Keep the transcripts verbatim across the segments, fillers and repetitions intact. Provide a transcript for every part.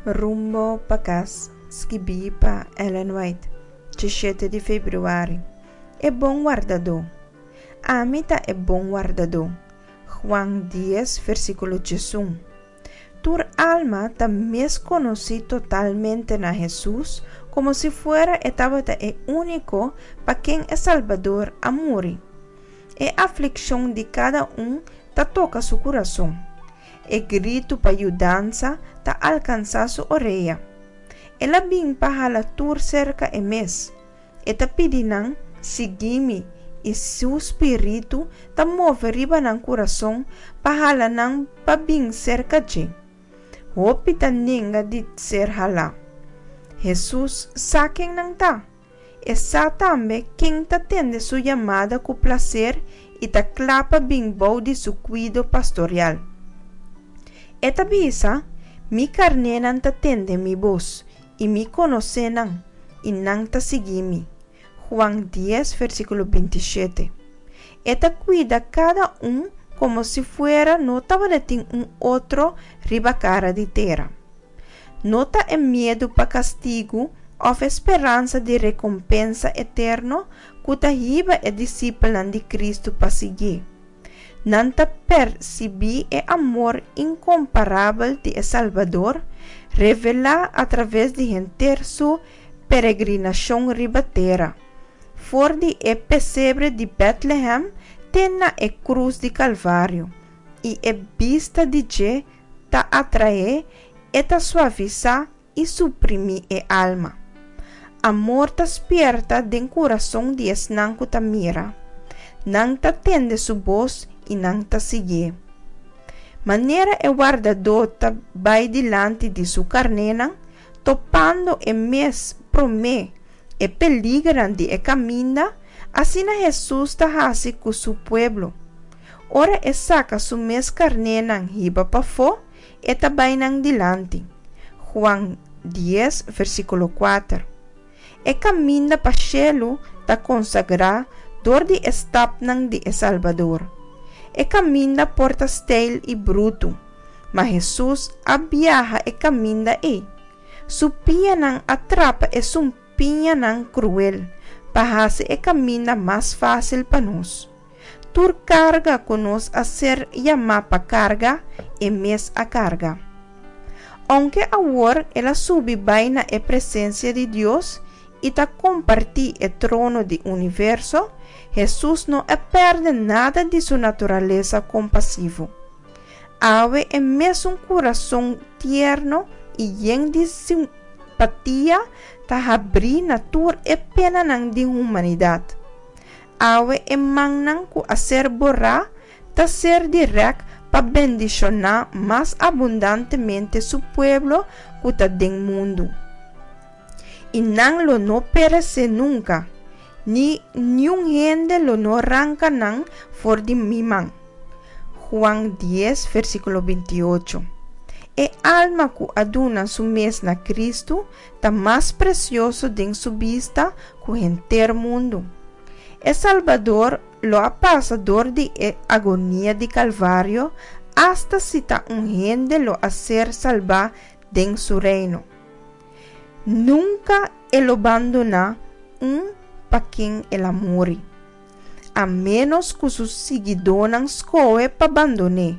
Rumbo pa Kas, skibí pa Ellen White, diesshete di febrüari. E Bon Wardadó. Ami ta e bon wardadó. Juan dies, versíkulo diesun. Tur alma ta mes konosí totalmente na Hesus komo si fuera e tabata e úniko pa ken e Salbador a muri. E aflikshon di kada un ta toka su kurason. E gritu pa yudansa ta alkansá su orea. El a bin pa hala tur serka e mes. E ta pidi nan, Sigui mi, i su spiritu ta move riba nan kurason pa hala nan pa bin serka dje. Hopi ta nenga di ser halá. Hesus sa ken nan ta. E sa tambe ken ta tende su yamada ku plaser i ta kla pa bin bou di su kuido pastorial. E ta bisa, Mi karnénan ta tende mi bos, i mi konosé nan, i nan ta sigui mi. Juan dies, versíkulo binti shete. E ta kuida kada un komo si fuera no tabatin un otro riba kara di tera. No ta e miedu pa kastigu òf e speransa di rekompensa eterno ku ta hiba e disipelnan di Kristu pa siguié. Nan ta persibí e amor inkomparabel di e Salbador revelá atraves di henter Su peregrinashon riba tera, for di e pesebre di Bètlehèm te na e krus di Kalvario, i e bista di dje ta atraé, e ta suavisá i suprimí e alma. Amor ta spierta den kurason di esnan ku ta mira. Nan ta tende su bos i nan ta siguié. Manera e wardadó ta bai dilanti di su karnénan, topando e mes promé e peligernan di e kaminda, asina Hesus ta hasi ku su pueblo. Ora e saka su mes karnénan hiba pafó, e ta bai nan dilanti. Juan dies, versíkulo kuater. E kaminda pa shelu ta konsagrá dor di e stapnan di e Salbador. E kaminda por ta steil i brutu, ma Hesus a biaha e kaminda ei. Su pianan a trapa e sumpiñanan kruel pa hasi e kaminda mas fásil pa nos. Tur karga ku nos a ser yamá pa karga, e mes a karga. Ounke awor el a subi bai na e presensia di Dios i ta kompartí e trono di universo, Hesus no a pèrdè nada di su naturalesa kompasivo. Awe e mesun kurason tierno i yen di simpatia ta habrí na tur e penanan di humanidat. Awe e mannan ku a ser borá ta ser di rèk pa bendishoná mas abundantemente su pueblo ku ta den mundu. I nan lo no peresé nunka, ni niun hende lo no ranka nan for di mi man. Juan dies, versíkulo binti ocho. E alma ku a duna su mes na Kristu ta mas presioso den su bista ku henter mundu. E Salbador lo a pasa dor di e agonia di Kalvario asta si ta un hende lo a ser salbá den su reino. Nunka e lo bandoná un pa ken el a muri, a ménos ku su siguidónan skohe pa bandon'é.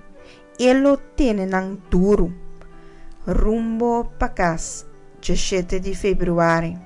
E lo tene nan duru. Rumbo pa kas, djeshete di febrüari.